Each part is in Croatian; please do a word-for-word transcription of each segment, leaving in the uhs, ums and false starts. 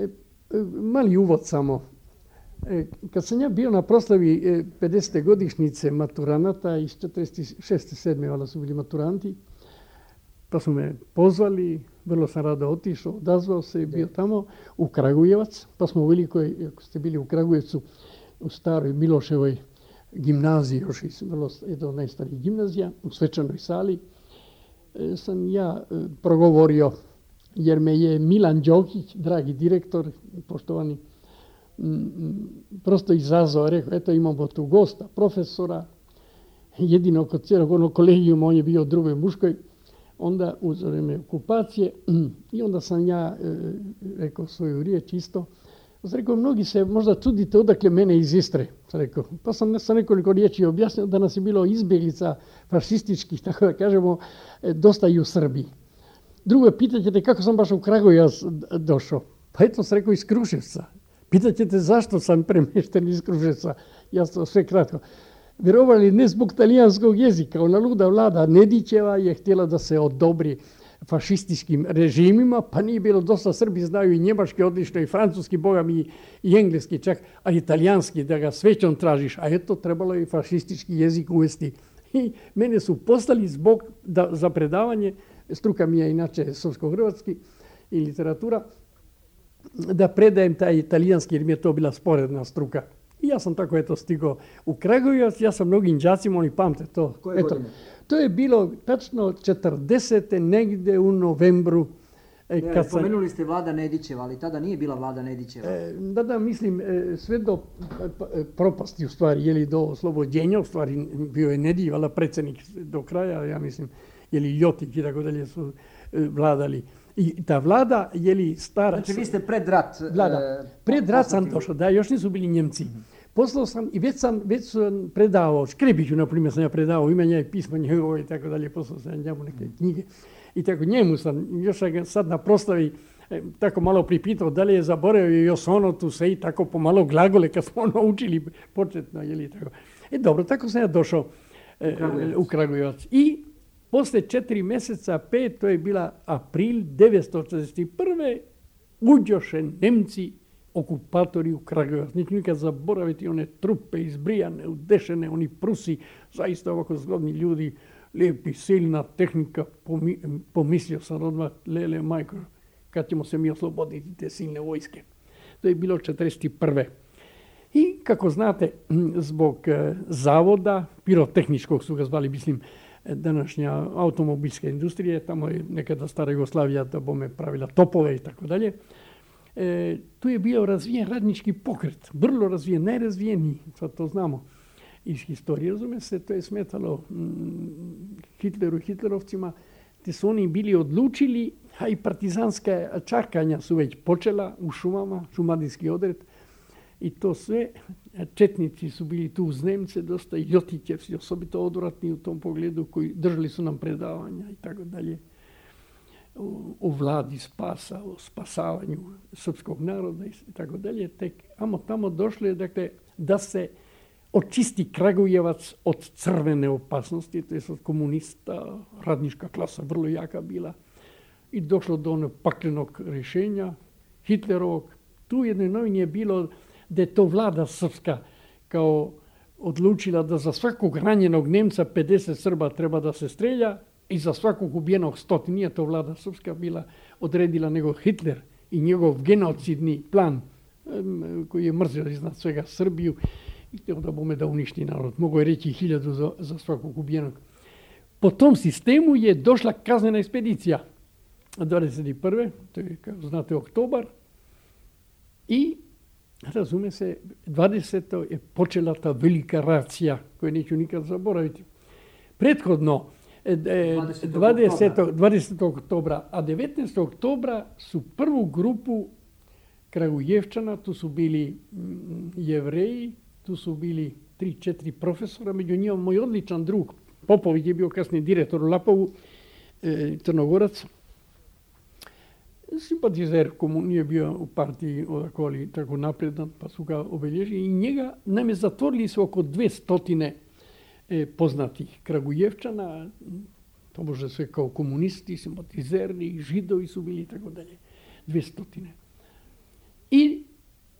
E, mali uvod samo. E, kad sam ja bio na proslavi e, pedesete godišnjice maturanata iz četrdeset šeste sedme valjda su bili maturanti, pa su me pozvali, vrlo sam rado otišao, odazvao se i bio tamo u Kragujevac, pa smo u Velikoj, ako ste bili u Kragujevcu, u staroj Miloševoj gimnaziji, još iz vrlo, jedna od najstarijih gimnazija, u svečanoj sali, e, sam ja e, progovorio, jer me je Milan Đokić, dragi direktor, poštovani, m, prosto izazvao, rekao, eto imamo tu gosta, profesora, jedino kod cijelog onog kolegijuma, on je bio u drugoj muškoj, onda u vrijeme okupacije, i onda sam ja e, rekao svoju riječ isto. Sam rekao, mnogi se možda čudite odakle mene iz Istre. Sam rekao. Pa sam sa nekoliko riječi objasnio da nas je bilo izbjeglica fašističkih, tako da kažemo, e, dosta i u Srbiji. Drugo, pitaćete kako sam baš u Kragujevac došao. Pa eto sam rekao iz Kruševca. Pitaćete zašto sam premješten iz Kruševca. Ja sam sve kratko. Vjerovali ne zbog talijanskog jezika. Ona luda vlada Nedićeva je htjela da se odobri fašističkim režimima, pa nije bilo dosta. Srbi znaju i njemački odlično, i francuski, boga mi i engleski čak, a i talijanski, da ga svećom tražiš. A eto, trebalo je i fašistički jezik uvesti. I mene su poslali zbog, da, za predavanje, struka mi je inače srpsko-hrvatski i literatura, da predajem taj italijanski, jer mi je to bila sporedna struka. I ja sam tako eto stigao u Kragujevac, ja sam mnogim đacima, oni pamte to. Koje eto, godine? To je bilo tačno četrdesete negdje u novembru. E, Ne, kad spomenuli sam, ste Vlada Nedićeva, ali tada nije bila Vlada Nedićeva. e, da, da, mislim, e, sve do e, propasti u stvari, jeli do oslobođenja, u stvari bio je Nedić, valjda predsjednik do kraja, ja mislim, jeli Ljotić i tako dalje su e, vladali. I ta vlada, jeli stara... Znači vi ste pred rat... Vlada. E, Pred rat sam poslati- došao, da, još nisu bili Njemci. Poslao sam i već sam, već sam predavao, Škrebiću, na primjer, sam ja predavao imanja i pismo njegovo i tako dalje, poslao sam njemu neke knjige. I tako njemu sam, još sam ga sad na proslavi e, tako malo pripitao da li je zaboravio još ono tu se i tako pomalo glagole kad smo ono učili početno, jeli tako. E dobro, tako sam ja došao e, U Kragujevac. u Kragujevac. I posle četiri mjeseca, pet, to je bila april devetsto četrdeset prve. uđoše Nemci, okupatori u Kragujevac. Neću nikad zaboraviti one trupe izbrijane, udešene, oni Prusi, zaista ovako zgodni ljudi, lijepi, silna tehnika. Pomi, pomislio sam odmah, lele majko, kad ćemo se mi osloboditi te silne vojske. To je bilo četrdeset prve. I kako znate, zbog e, zavoda, pirotehničkog su ga zvali, mislim, današnja automobilska industrija, tamo je nekada stara Jugoslavija da bome pravila topove i tako dalje. E, tu je bio razvijen radnički pokret, vrlo razvijen, najrazvijeniji, sad to znamo iz historije, razume se, to je smetalo mm, Hitleru i hitlerovcima, te su oni bili odlučili, a i partizanska čakanja su već počela u šumama, šumadijski odred, i to sve, četnici su bili tu uz Nemce, dosta i Ljotićevci, osobito odvratni u tom pogledu, koji držali su nam predavanja i tako dalje. O, o vladi spasa, o spasavanju srpskog naroda i tako dalje. Tek amo tamo došlo je, dakle, da se očisti Kragujevac od crvene opasnosti, to je od komunista, radnička klasa vrlo jaka bila, i došlo do onog paklenog rješenja Hitlerovog. Tu u jednoj novini je bilo da je to vlada srpska kao odlučila da za svakog ranjenog Nemca pedeset Srba treba da se strelja i za svakog ubijenog stoti. Nije to vlada srpska bila odredila, nego Hitler i njegov genocidni plan koji je mrzio iznad svega Srbiju i htio da bome da uništi narod. Mogu je reći hiljadu za, za svakog ubijenog. Po tom sistemu je došla kaznena ekspedicija dvadeset prve. To je, kao znate, oktobar. I razume se, dvadesetog je počela ta velika racija koju neću nikad zaboraviti. Prethodno, dvadesetog oktobra, a devetnaestog oktobra su prvu grupu Kragujevčana, tu su bili Jevreji, tu su bili tri, četiri profesora, među njima moj odličan drug, Popović je bio kasniji direktor u Lapovu, e, Crnogorac, simpatizer nije bio u partiji odako, ali tako napredan, pa su ga obelježili i njega nam je zatvorili su oko dve stotine e, poznatih Kragujevčana, to može sve kao komunisti, simpatizeri, židovi su bili i tako dalje, dve stotine. I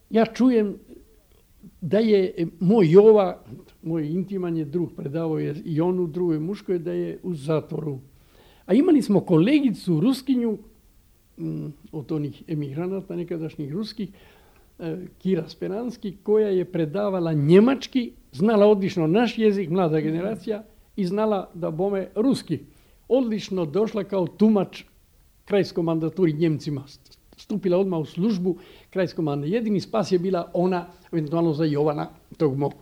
ja čujem da je moj Jova, moj intiman je drug, predavao je i onu drugoj muškoj, da je u zatvoru. A imali smo kolegicu Ruskinju, od onih emigranata nekadašnjih ruskih, Kira Speranski, koja je predavala njemački, znala odlično naš jezik, mlada generacija, i znala da bome ruski. Odlično došla kao tumač krajskoj mandaturi Njemcima. Stupila odmah u službu krajskoj mandaturi. Jedini spas je bila ona, eventualno za Jovana, tog mog.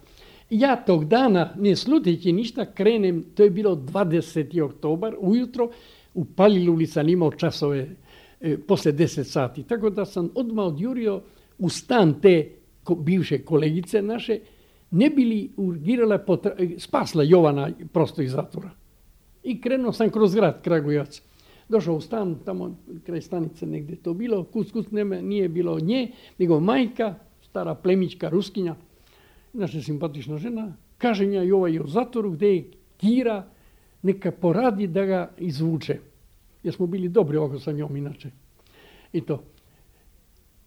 Ja tog dana, ne sluteći ništa, krenem, to je bilo dvadeseti oktobar, ujutro, u Palilu sam imao časove e, posle deset sati. Tako da sam odmah odjurio u stan te ko, bivše kolegice naše, ne bi li urgirala, potra- spasla Jovana prosto iz zatvora. I krenuo sam kroz grad Kragujevac. Došao u stan, tamo kraj stanice negdje to bilo, kuc, kuc, nema, nije bilo nje, nego majka, stara plemićka Ruskinja, naša simpatična žena, kaže nja i ovaj je u zatvoru gdje je Kira, neka poradi da ga izvuče. Jer smo bili dobri ovako sa njom inače. I to.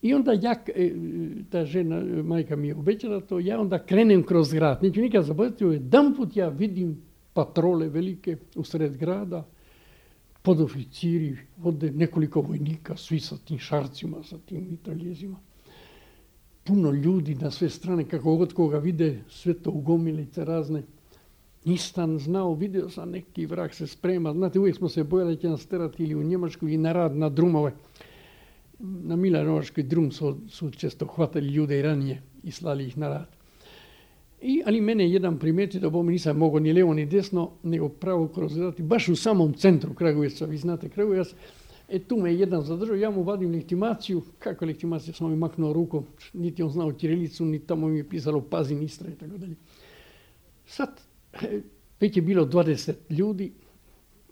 I onda ja, ta žena, majka mi je obećala to, ja onda krenem kroz grad. Neću nikad zaboraviti, jedan put ja vidim patrole velike u sred grada, podoficiri, vode nekoliko vojnika, svi sa tim šarcima, sa tim mitraljezima. Puno ljudi na sve strane, kako god koga vide, sve to ugomilice razne. Nisam znao, vidio sam neki vrag se sprema. Znate, uvijek smo se bojali da će nas terati ili u Njemačku ili na rad, na drumove. Na Milanovačkoj drum su, su često hvatali ljude i ranije i slali ih na rad. I, ali mene jedan primetio da bome nisam mogao ni levo ni desno, nego pravo kroz rad. Baš u samom centru Kragujevca, vi znate Kragujevac. E tu me jedan zadržao, ja mu vadim legitimaciju. Kako legitimacija, sam mi maknuo rukom, niti on znao ćirilicu, ni tamo mi je pisalo Pazin, Istra i tako dalje. Sad, već je bilo dvadeset ljudi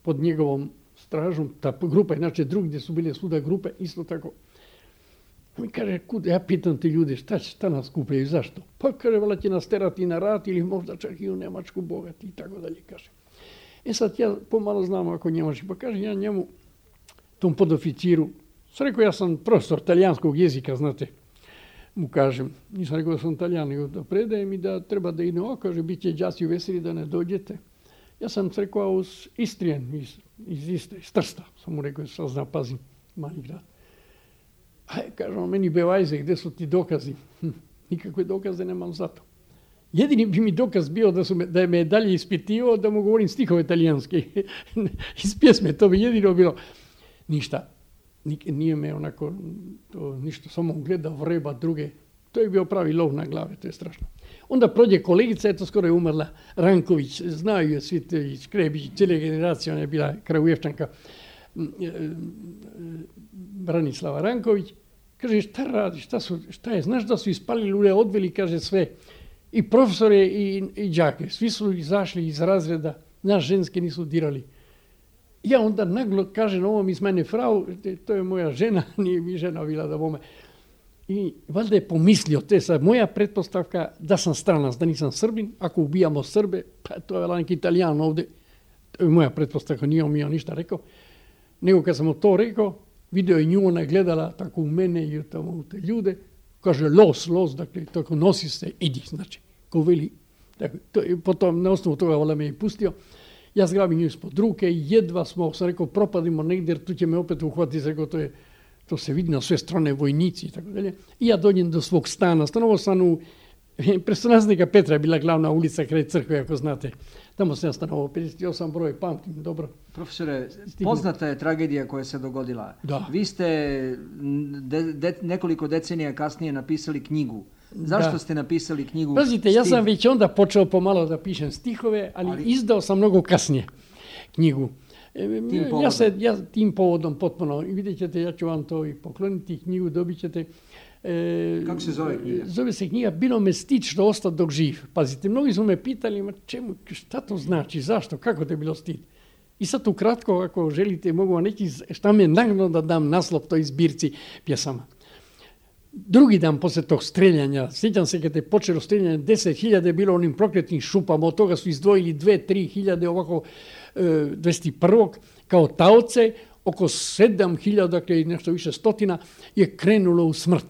pod njegovom stražom, ta grupa, inače drugdje su bile svuda grupe, isto tako. Mi kaže, kud, ja pitam te ljude, šta, šta nas skupljaju, zašto? Pa kaže, vala će nas terati na rat ili možda čak i u Njemačku bogati i tako dalje, kaže. E sad ja pomalo znam ako Njemački, pa kaže ja njemu, tom podoficiru, sam rekao, ja sam profesor talijanskog jezika, znate, mu kažem, nisam rekao da sam Talijan, nego da predajem i da treba da idem, o, kaže, bit će đaci veseli da ne dođete. Ja sam se rekao uz Istrijen, iz, iz Istre, iz Trsta, sam mu rekao, sad znam, Pazin, mali grad. Aj, kaže on, meni bevajze, gdje su ti dokazi? Hm, nikakve dokaze nemam za to. Jedini bi mi dokaz bio da, su me, da je me dalje ispitivao, da mu govorim stihove talijanske. Iz pjesme, to bi jedino bilo. Ništa, nije me onako, to, ništa, samo gledao vreba druge. To je bio pravi lov na glave, to je strašno. Onda prođe kolegica, eto skoro je umrla, Ranković, znaju je svi te Škrebić, cijela generacija, ona je bila Kragujevčanka, Branislava Ranković. Kaže, šta radi, šta, su, šta je, znaš da su ispalili ule, odveli, kaže sve, i profesore i, i đake, svi su izašli iz razreda, nas ženske nisu dirali. Ja onda naglo kažem ovom iz mene, frau, to je moja žena, nije mi žena bila da bome. I valjda je pomislio, to je sad moja pretpostavka da sam stranac, da nisam Srbin, ako ubijamo Srbe, pa to je neki Italijan ovdje, to je moja pretpostavka, nije on mi on ništa rekao. Nego kad sam mu to rekao, video je nju, ona je gledala tako u mene i tamo u te ljude, kaže los, los, dakle, tako nosi se, idi, znači, ko veli. Dakle, to je, potom na osnovu toga valjda me je pustio. Ja zgrabim nju ispod ruke i jedva smo, sam rekao, propadimo negdje, jer tu će me opet uhvatiti, rekao, to je, to se vidi na sve strane, vojnici i tako dalje. I ja dođem do svog stana, stanovao sam u, Prestolaznika Petra je bila glavna ulica kraj crkve, ako znate. Tamo sam ja stanovao, pedeset osam broj, pamtim, dobro. Profesore, poznata je tragedija koja se dogodila. Da. Vi ste de, de, nekoliko decenija kasnije napisali knjigu. Zašto da. ste napisali knjigu? Pazite, ja sam već onda počeo pomalo da pišem stihove, ali, ali... izdao sam mnogo kasnije knjigu. Tim povodom. Ja se, ja tim povodom potpuno, i vidjet ćete, ja ću vam to i pokloniti, knjigu dobit ćete. E, Kako se zove knjiga? Zove se knjiga Bilo me stid što ostao dok živ. Pazite, mnogi su me pitali, ma čemu, šta to znači, zašto, kako te je bilo stid? I sad ukratko, ako želite, mogu vam neki šta me nagnalo da dam naslov toj zbirci pjesama. Drugi dan posle tog streljanja, sjećam se kad je počelo streljanje, deset hiljada je bilo onim prokletnim šupama, od toga su izdvojili dve do tri hiljade ovako e, dvadeset prvog kao taoce, oko sedam hiljada, dakle nešto više stotina, je krenulo u smrt.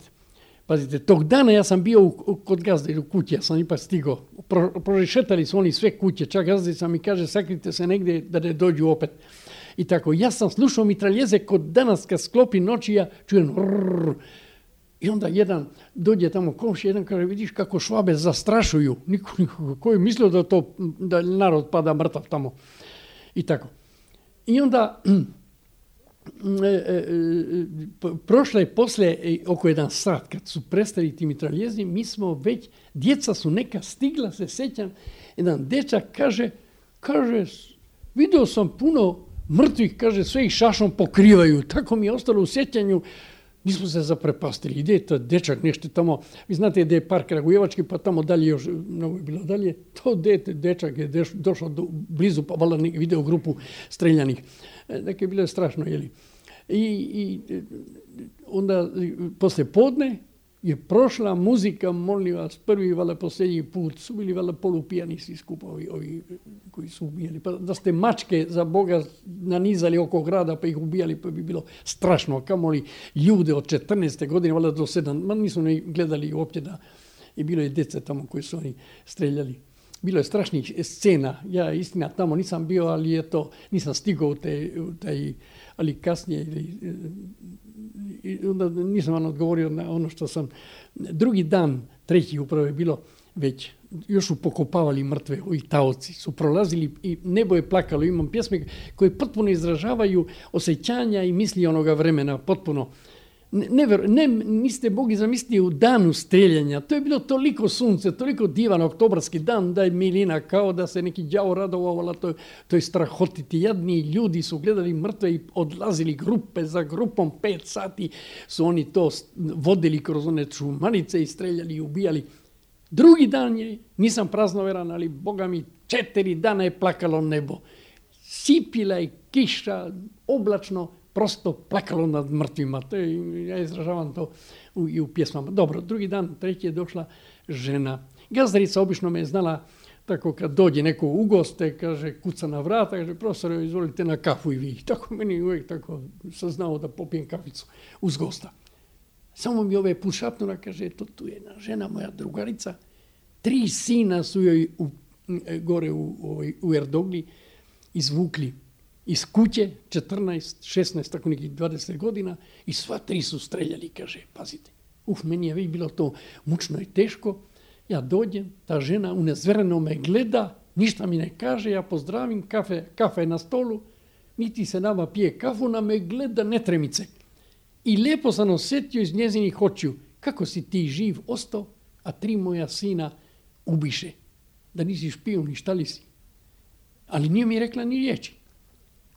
Pazite, tog dana ja sam bio u, kod gazde u kući, ja sam ipak stigao. Pro, prošetali su oni sve kuće, čak gazdica mi kaže sakrite se negdje da ne dođu opet. I tako, ja sam slušao mitraljeze kod danas kad sklopi noći, ja čujem rrrr. I onda jedan dođe tamo komši, jedan kaže, vidiš kako Švabe zastrašuju. Niko, niko, ko je mislio da to, da narod pada mrtav tamo. I tako. I onda e, e, prošle posle oko jedan sat kad su prestali ti mitraljezi, mi smo već, djeca su neka stigla, se sjećam, jedan dečak kaže, kaže, vidio sam puno mrtvih, kaže, sve ih šašom pokrivaju. Tako mi je ostalo u sjećanju. Mi smo se zaprepastili. Ide to dečak nešto tamo. Vi znate da je park Kragujevački, pa tamo dalje još, mnogo je bilo dalje. To dete, dečak je deš, došao do, blizu, pa valjda video grupu streljanih. Dakle, bilo je strašno, jeli. I, i onda, posle podne, je prošla muzika, molim vas, prvi valjda posljednji put, su bili valjda polupijani svi skupa ovi, ovi koji su ubijali. Pa da ste mačke za Boga nanizali oko grada pa ih ubijali, pa bi bilo strašno. Kamoli ljude od četrnaeste godine, valjda do sedam, ma nisu ne gledali uopće da, i bilo je djece tamo koji su oni streljali. Bilo je strašnih scena, ja istina tamo nisam bio, ali je to, nisam stigao u, te, u taj, ali kasnije, i onda nisam vam odgovorio na ono što sam, drugi dan, treći upravo je bilo već, još su pokopavali mrtve, ovi taoci su prolazili i nebo je plakalo, imam pjesme koje potpuno izražavaju osjećanja i misli onoga vremena, potpuno. Ne, ne, ne, niste mogli zamisliti u danu streljanja, to je bilo toliko sunce, toliko divan oktobarski dan, da je milina, kao da se neki đavo radovala, to, to je strahotiti. Jadni ljudi su gledali mrtve i odlazili grupe za grupom, pet sati su oni to vodili kroz one čumanice i streljali i ubijali. Drugi dan je, nisam praznoveran, ali Boga mi, četiri dana je plakalo nebo. Sipila je kiša, oblačno, prosto plakalo nad mrtvima. To je, ja izražavam to u, i u pjesmama. Dobro, drugi dan, treći je došla žena. Gazdarica obično me je znala tako kad dođe neko u goste, kaže, kuca na vrata, kaže, profesore, izvolite na kafu i vi. Tako meni uvijek tako sam znao da popijem kaficu uz gosta. Samo mi ove pušapnula, kaže, to tu je jedna žena, moja drugarica. Tri sina su joj u, gore u, u, u Erdogli izvukli iz kuće, četrnaest, šesnaest, tako nekih dvadeset godina, i sva tri su streljali, kaže, pazite. Uf, meni je već bilo to mučno i teško. Ja dođem, ta žena unezvereno me gleda, ništa mi ne kaže, ja pozdravim, kafe, kafe na stolu, niti se nama pije kafu, ona me gleda netremice. I lijepo sam osjetio iz njezinih očiju, kako si ti živ ostao, a tri moja sina ubiše. Da nisi špijun, ni šta li si. Ali nije mi rekla ni riječi.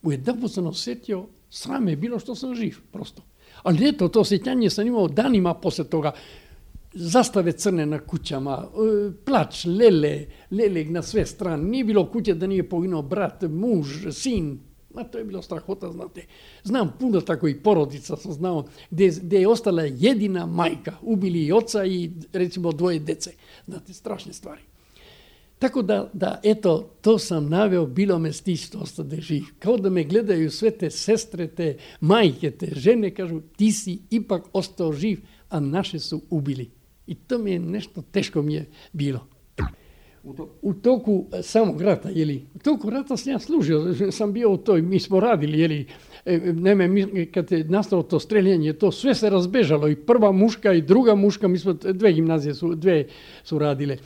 Ujedanput sam osjetio, srame je bilo što sam živ, prosto. Ali eto, to osjećanje sam imao danima poslije toga. Zastave crne na kućama, plač, lele, lele na sve strane. Nije bilo kuće da nije poginuo brat, muž, sin. A to je bilo strahota, znate. Znam puno tako i porodica sam znao, gdje, gdje je ostala jedina majka. Ubili i oca i recimo dvoje dece. Znate, strašne stvari. Tako da, da, eto, to sam naveo, bilo me stići što ostade živ. Kao da me gledaju sve te sestre, te majke, te žene, kažu, ti si ipak ostao živ, a naše su ubili. I to mi je nešto teško mi je bilo. U toku samog rata, jeli, u toku rata sam ja služio, sam bio u toj, mi smo radili, jeli, neme, mi, kad je nastalo to streljanje, to sve se razbežalo, i prva muška i druga muška, mi smo, dve gimnazije su, dve su radile.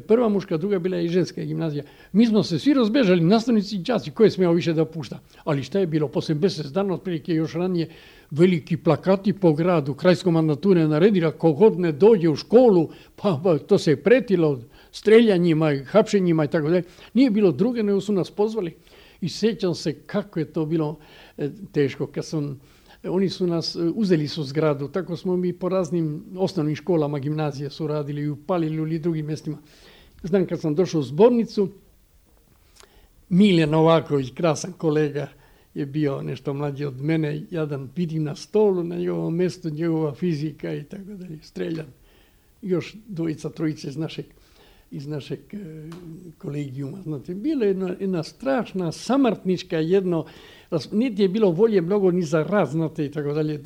Prva muška, druga bila i ženska gimnazija. Mi smo se svi razbežali, nastavnici i đaci, koje smeo više da pušta. Ali šta je bilo? Posle mjesec dana, otprilike još ranije, veliki plakati po gradu, krajsko mandatura je naredila, kogod ne dođe u školu, pa, pa to se je pretilo streljanjima i hapšenjima i tako dalje. Nije bilo druge, nego su nas pozvali. I sjećam se kako je to bilo e, teško. Kad sam, oni su nas, uzeli su zgradu, tako smo mi po raznim osnovnim školama, gimnazije su radili i u Palilju ili drugim mjestima. Znam, kad sam došao u zbornicu, Miljan Novaković, krasan kolega, je bio nešto mlađi od mene, jadan vidim na stolu, na njegovom mjestu njegova fizika i tako dalje, streljan. Još dvojica, trojice iz našeg iz našeg kolegijuma. Znate, bila je jedna, jedna strašna samrtnička jedno, niti je bilo volje mnogo ni za rad, znate, i tako dalje.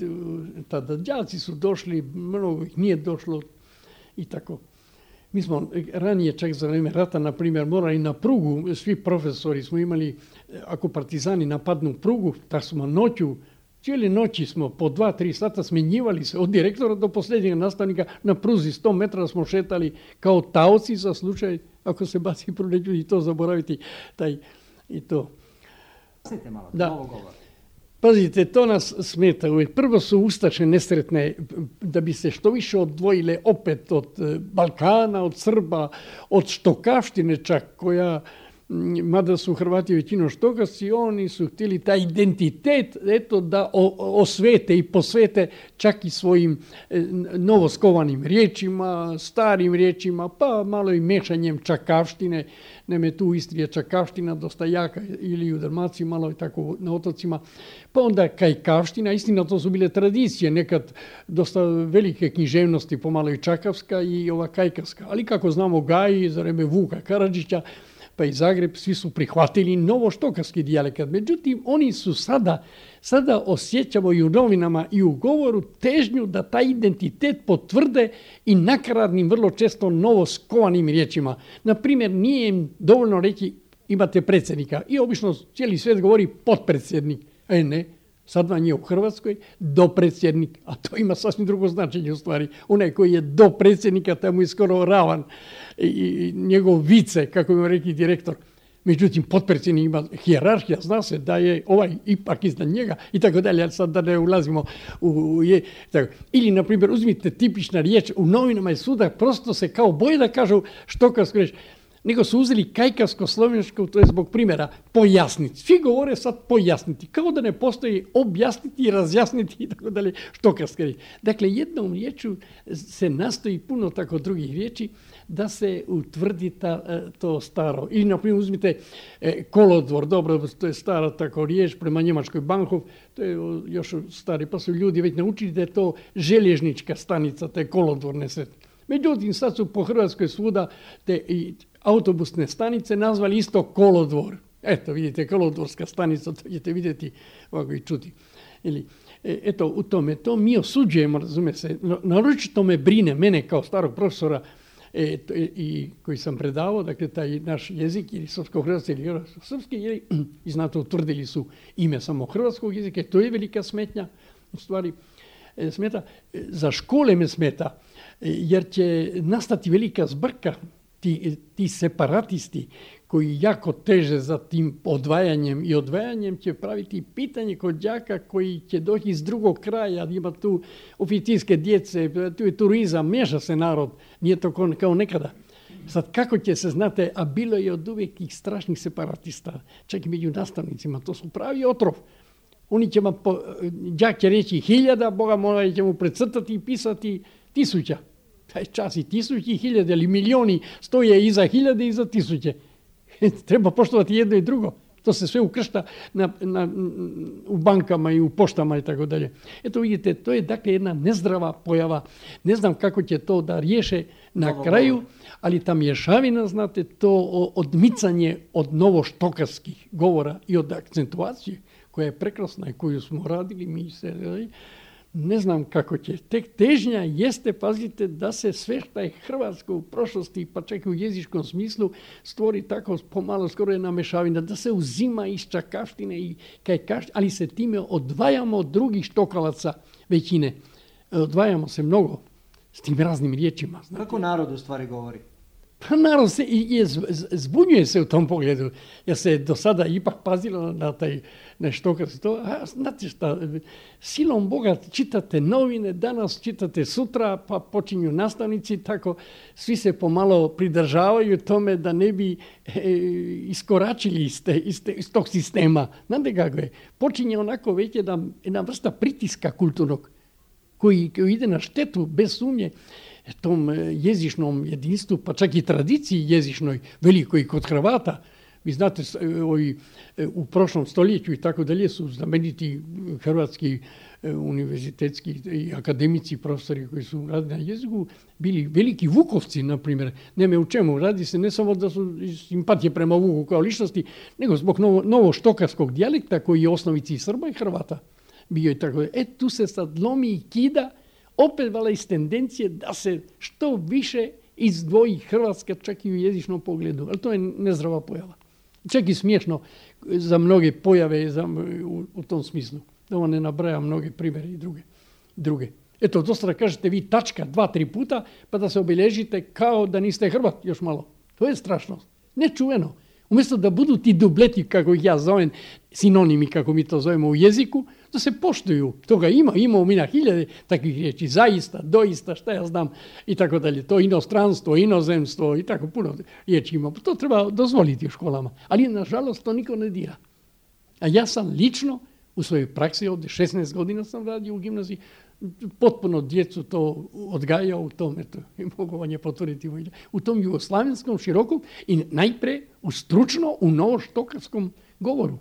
Tada đaci su došli, mnogo ih nije došlo i tako. Mi smo ranije, čak za vreme rata, na primjer, morali na prugu, svi profesori smo imali, ako partizani napadnu prugu, tako smo noću, cijeli noći smo po dva, tri sata smjenjivali se od direktora do posljednjeg nastavnika na pruzi sto metara smo šetali kao taoci za slučaj ako se baci prvo, neću i to zaboraviti. Taj, i to. Malo, da. Pazite, to nas smeta uvijek. Prvo su ustaše nesretne da bi se što više odvojile opet od Balkana, od Srba, od štokavštine čak koja, mada su Hrvati većinom štokavci, oni su htjeli taj identitet eto, da osvete i posvete čak i svojim novoskovanim riječima, starim riječima, pa malo i mešanjem čakavštine. Naime, tu u Istri je čakavština dosta jaka ili u Dalmaciji, malo i tako na otocima. Pa onda kajkavština, istina to su bile tradicije, nekad dosta velike književnosti, pomalo i čakavska i ova kajkavska. Ali kako znamo Gaji, za vreme Vuka Karadžića, pa i Zagreb, svi su prihvatili novoštokavski dijalekat. Međutim, oni su sada, sada osjećamo i u novinama i u govoru težnju da taj identitet potvrde i nakaradnim, vrlo često novoskovanim riječima. Naprimjer, nije im dovoljno reći imate predsjednika i obično cijeli svijet govori potpredsjednik. E ne, sad vam je u Hrvatskoj dopredsjednik, a to ima sasvim drugo značenje u stvari. Onaj koji je do predsjednika, tamo je skoro ravan i, i njegov vice, kako ima rekli direktor. Međutim, potpredsjednik ima hijerarhija, zna se da je ovaj ipak iznad njega i tako dalje, ali sad da ne ulazimo u... u je, tako. Ili, na primjer, uzmite tipična riječ, u novinama je suda, prosto se kao boje da kažu štokavsku riječ, nego su uzeli kajkavsko-slovensko, to je zbog primjera, pojasniti. Svi govore sad pojasniti, kao da ne postoji objasniti i razjasniti i tako dalje štokavske riječi. Dakle, jednom riječu se nastoji puno tako drugih riječi da se utvrdi ta, to staro. Ili, na primjer, uzmite e, kolodvor, dobro, to je stara tako riječ prema njemačkoj Bahnhof, to je još stari, pa su ljudi već naučili da je to željeznička stanica, te kolodvorne sretne. Međutim, sad su po Hrvatskoj svuda te i autobusne stanice nazvali isto kolodvor. Eto, vidite, kolodvorska stanica, to ćete vidjeti ovako i čuti. Ili, eto, u tome, to mi osuđujemo, razume se. Naročito me brine, mene kao starog profesora e, to, i koji sam predavao, dakle, taj naš jezik, ili srpsko-hrvatski, ili srpski, ili, i znate, utvrdili su ime samo hrvatskog jezika, to je velika smetnja, u stvari, e, smeta. Za škole me smeta, jer će nastati velika zbrka, ti, ti separatisti koji jako teže za tim odvajanjem i odvajanjem će praviti pitanje kod đaka koji će doći iz drugog kraja, ima tu oficirske djece, tu je turizam, miješa se narod, nije to kao nekada. Sad kako će se, znate, a bilo je od uvijek tih strašnih separatista, čak i među nastavnicima, to su pravi otrov. Oni će vam, đak će reći hiljada, Boga mora će mu precrtati i pisati tisuća. Taj čas i tisuće i hiljade, ali milioni stoje iza hiljade i iza tisuće. Treba poštovati jedno i drugo. To se sve ukršta na, na, u bankama i u poštama i tako dalje. Eto vidite, to je dakle jedna nezdrava pojava. Ne znam kako će to da riješe na Novo, kraju, ali ta mješavina, znate, to odmicanje od novoštokavskih govora i od akcentuacije koja je prekrasna i koju smo radili mi se... Ne znam kako će. Tek težnja jeste, pazite, da se sve što je hrvatsko u prošlosti, pa čak i u jezičkom smislu, stvori tako pomalo skoro jedna mešavina, da se uzima iz čakavštine i kajkavštine, ali se time odvajamo od drugih štokavaca većine. Odvajamo se mnogo s tim raznim riječima. Znate. Kako narod u stvari govori? Pa narod se i, i zbunjuje se u tom pogledu. Ja se do sada ipak pazilo na taj nešto kad se to, a znate šta, silom Boga čitate novine, danas čitate sutra, pa počinju nastavnici, tako svi se pomalo pridržavaju tome da ne bi e, iskoračili iz, te, iz, te, iz tog sistema. Znate kako je? Počinje onako već jedna, jedna vrsta pritiska kulturnog koji, koji ide na štetu bez sumnje tom jezičnom jedinstvu, pa čak i tradiciji jezičnoj, velikoj kod Hrvata, Vi znate, ovi, u prošlom stoljeću i tako dalje su znameniti hrvatski univerzitetski i akademici, profesori koji su radili na jeziku, bili veliki Vukovci, na primjer. Nema u čemu. Radi se ne samo da su simpatije prema Vuku kao ličnosti, nego zbog novo, novoštokarskog dijalekta koji je osnovici Srba i Hrvata bio i tako. E, tu se sad lomi i kida, opet vala iz tendencije da se što više izdvoji Hrvatska čak i u jezičnom pogledu. Ali to je nezdrava pojava. Čak i smiješno za mnoge pojave za, u, u tom smislu. Da vam ne nabraja mnoge primjere i druge. druge. Eto, dosta da kažete vi tačka dva, tri puta, pa da se obilježite kao da niste Hrvat još malo. To je strašno. Nečuveno. Umjesto da budu ti dubleti, kako ih ja zovem, sinonimi, kako mi to zovemo u jeziku, da se poštuju. Toga ima, imamo mi na hiljade takvih riječi. Zaista, doista, šta ja znam, i tako dalje. To inostranstvo, inozemstvo i tako puno riječi ima. To treba dozvoliti u školama. Ali, nažalost, to niko ne dira. A ja sam lično u svojoj praksi, ovdje šesnaest godina sam radio u gimnaziji, potpuno djecu to odgajao u tom, eto, mogu vam je potvrditi, u tom jugoslavenskom širokom i najpre u stručno, u novoštokarskom govoru.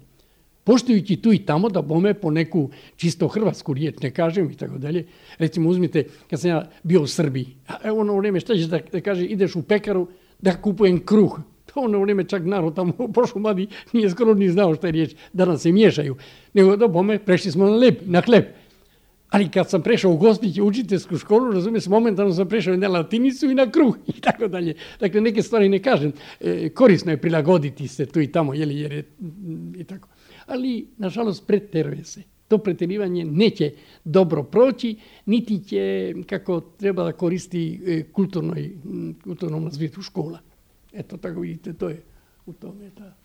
Poštujući tu i tamo da bome po neku čisto hrvatsku riječ, ne kažem i tako dalje. Recimo, uzmite, kad sam ja bio u Srbiji, a ono vrijeme šta ćeš da, da kaže, ideš u pekaru da kupujem kruh. To ono vrijeme čak narod tamo u Prošumadi nije skoro ni znao šta je riječ, da nam se miješaju. Nego da bome, prešli smo na, lep, na hleb. Ali kad sam prešao u Gospić u učiteljsku školu, razumije se, momentalno sam prešao na latinicu i na kruh i tako dalje. Dakle, neke stvari ne kažem. E, korisno je prilagoditi se tu i tamo, jeli, jer je i tako. Ali, nažalost, preteruje se. To pretjerivanje neće dobro proći, niti će, kako treba da koristi kulturnoj, kulturnom razvijetu škola. Eto, tako vidite, to je u tome ta